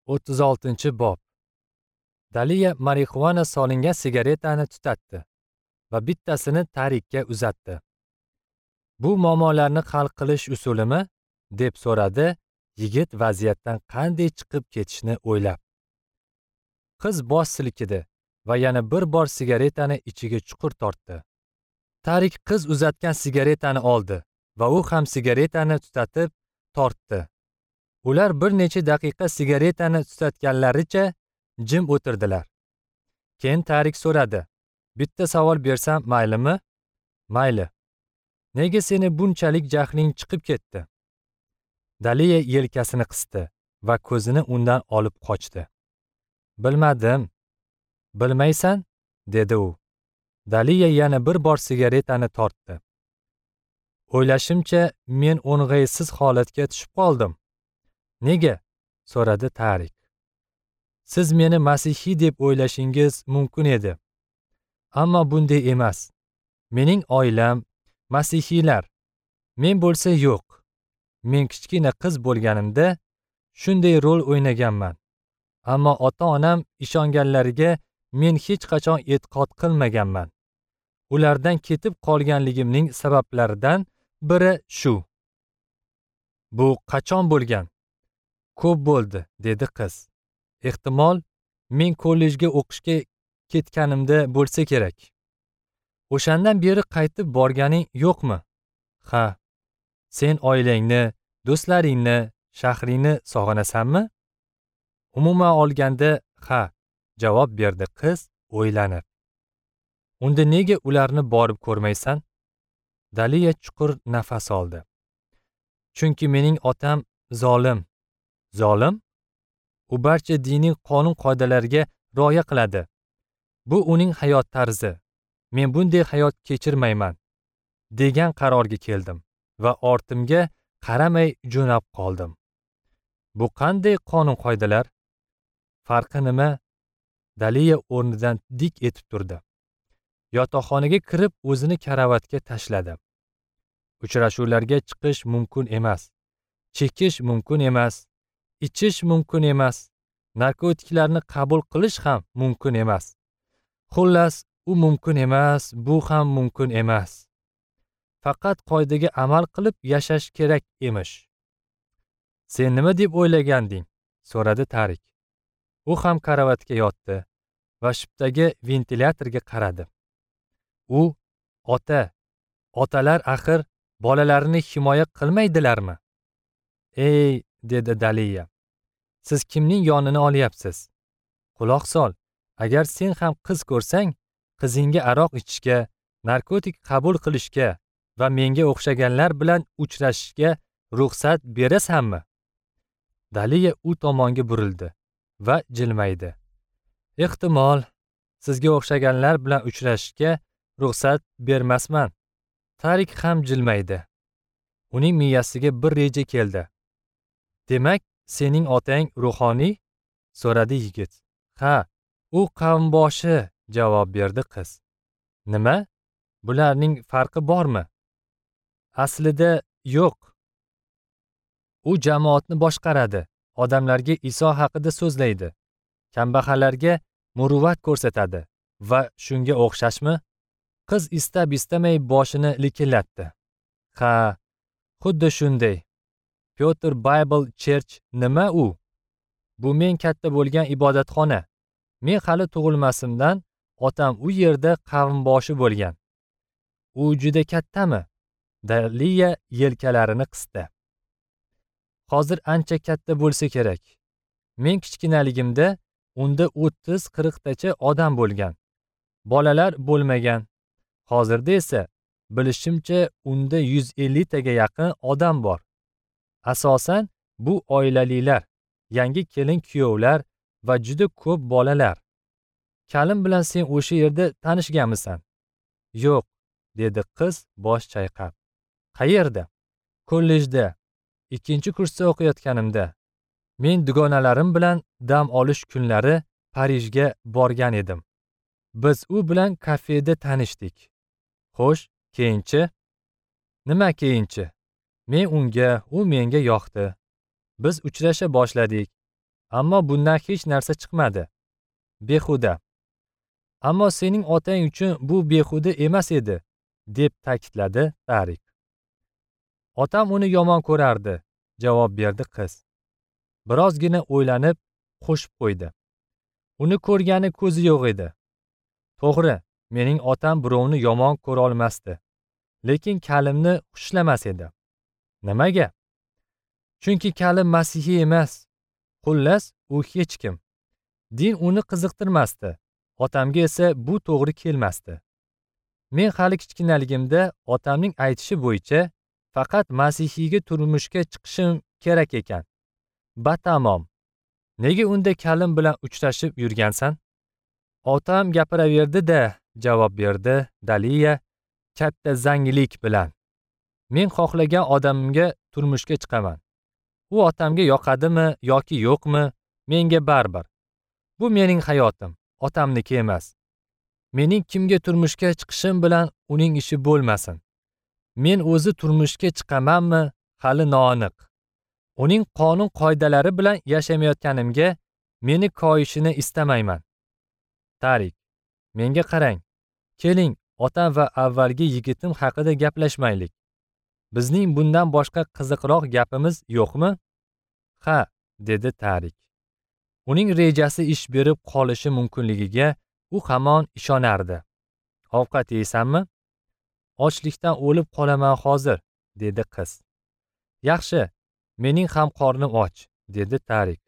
36-bob. Daliya marixuana solingan sigaretani tutatdi va bittasini Tarikka uzatdi. Bu muammolarni hal qilish usulimi? Deb so'radi yigit vaziyatdan qanday chiqib ketishni o'ylab. Qiz bosh silkidi va yana bir bor sigaretani ichiga chuqur tortdi. Tarik qiz uzatgan sigaretani oldi va u ham sigaretani tutatib tortdi. Ular bir necha daqiqa sigaretani tutatganlaricha jim o'tirdilar. Keyin Tarik so'radi: "Bitta savol bersam maylimi?" "Mayli." "Nega seni bunchalik jahling chiqib ketdi?" Daliya yelkasini qisdi va ko'zini undan olib qochdi. "Bilmadim." "Bilmaysan?" dedi u. Daliya yana bir bor sigaretani tortdi. "O'ylashimcha, men o'ng'aysiz holatga tushib qoldim." "Nega?" so'radi Tarik. "Siz meni masihiy deb o'ylashingiz mumkin edi. Ammo bunday emas. Mening oilam masihiylar. Men bo'lsa yo'q. Men kichkina qiz bo'lganimda shunday rol o'ynaganman. Ammo ota-onam ishonganlariga men hech qachon e'tiqod qilmaganman. Ulardan ketib qolganligimning sabablaridan biri shu." "Bu qachon bo'lgan?" "Ko'p bo'ldi," dedi qiz. "Ehtimol, men kollejga o'qishga ketganimda bo'lsa kerak." "O'shandan beri qaytib borganing yo'qmi?" "Ha." "Sen oilangni, do'stlaringni, shahringni sog'inasanmi?" "Umuman olganda, ha," javob berdi qiz o'ylanib. "Unda nega ularni borib ko'rmaysan?" Daliya chuqur nafas oldi. "Chunki mening otam zolim." "Zolim? U barcha diniy qonun-qoidalarga rioya qiladi. Bu uning hayot tarzi. Men bunday hayot kechirmayman," degan qarorga keldim va ortimga qaramay jo'nab qoldim. "Bu qanday qonun-qoidalar? Farqi nima?" Daliya o'rnidan dik etib turdi. Yotoqxonaga kirib o'zini karavotga tashladi. Uchrashuvlarga chiqish mumkin emas, chekish mumkin emas, ichish mumkin emas, narkotiklarni qabul qilish ham mumkin emas. Xullas, u mumkin emas, bu ham mumkin emas. Faqat qoidaga amal qilib yashash kerak emish. "Sen nima deb o'ylaganding?" so'radi Tarik. U ham karavotga yotdi va shipdagi ventilyatorga qaradi. U ota, otalar axir bolalarini himoya qilmaydilarmi? "Ey," dedi Daliya. "Siz kimning yonini olyapsiz? Quloq sol, agar sen ham qiz ko'rsang, qizingga aroq ichishga, narkotik qabul qilishga va menga o'xshaganlar bilan uchrashishga ruxsat berasanmi?" Daliya u tomonga burildi va jilmaydi. "Ehtimol, sizga o'xshaganlar bilan uchrashishga ruxsat bermasman." Tarik ham jilmaydi. Uning miyasiga bir reja keldi. "Demak, sening otang ruhoniy?" so'radi yigit. "Ha, u qavmboshi," javob berdi qiz. "Nima? Bularning farqi bormi?" "Aslida yo'q. U jamoatni boshqaradi, odamlarga Iso haqida so'zlaydi, kambag'allarga muruvvat ko'rsatadi va shunga o'xshashmi?" Qiz istab istamay boshini likillatdi. "Ha, xuddi shunday. Peter Bible Church nima u? Bu men katta bo'lgan ibodatxona. Men hali tug'ilmasimdan otam u yerda qavmboshi bo'lgan." "U juda kattami?" Daliya yelkalarini qisdi. "Hozir ancha katta bo'lsa kerak. Men kichkinaligimda unda 30-40 tacha odam bo'lgan. Bolalar bo'lmagan. Hozirda esa bilishimcha unda 150 taga yaqin odam bor. Asosan bu oilalilar, yangi kelin kuyovlar va juda ko'p bolalar. Kalim bilan sen o'sha yerda tanishganmisan?" "Yo'q," dedi qiz bosh chayqab. "Qayerda?" "Kollejda, 2-kursda o'qiyotganimda. Men dugonalarim bilan dam olish kunlari Parijga borgan edim. Biz u bilan kafeda tanishdik." "Xo'sh, keyinchi?" "Nima keyinchi? Men unga, u menga yoqdi. Biz uchrasha boshladik. Ammo bundan hech narsa chiqmadi. Behuda. Ammo sening otang uchun bu behuda emas edi, deb ta'kidladi Tarik. Otam uni yomon ko'rardi, javob berdi qiz. Birozgina o'ylanib qo'shib qo'ydi. Uni ko'rgani ko'zi yo'q edi. To'g'ri, mening otam birovni yomon ko'ra olmasdi, lekin Kalimni xushlamas edi. Nimaga? Chunki Kalim masihiy emas. Xullas, u hech kim. Din uni qiziqtirmasdi. Otamga esa bu to'g'ri kelmasdi. Men hali kichkinaligimda otamning aytishi bo'yicha faqat masihiyga turmushga chiqishim kerak ekan. Batamom. Nega unda Kalim bilan uchrashib yurgansan? Otam gapiraverdi-da, javob berdi Daliya katta zangilik bilan. Men xohlagan odamimga turmushga chiqaman. U otamga yoqadimi yoki yo'qmi, menga baribir. Bu mening hayotim, otamniki emas. Mening kimga turmushga chiqishim bilan uning ishi bo'lmasin. Men o'zi turmushga chiqamanmi, hali noaniq. Uning qonun qoidalari bilan yashamayotganimga meni koyishini istamayman. Tarik, menga qarang. Keling, otam va avvalgi yigitim haqida gaplashmaylik. Bizning bundan boshqa qiziqroq gapimiz yo'qmi? Ha, dedi Tarik. Uning rejasi ish berib qolishi mumkinligiga u hamon ishonardi. Ovqat yeysanmi? Ochlikdan o'lib qolaman hozir, dedi qiz. Yaxshi, mening ham qornim och, dedi Tarik.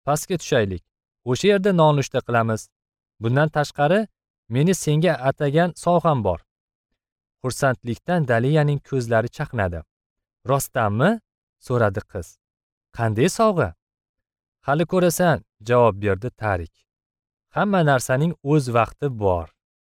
Pastga tushaylik. O'sha yerda nonushta qilamiz. Bundan tashqari, meni senga atagan sovg'am bor. Xursandlikdan Daliyaning ko'zlari chaqnadi. Rostdanmi? So'radi qiz. Qanday sovg'a? Hali ko'rasan, javob berdi Tarik. Hamma narsaning o'z vaqti bor.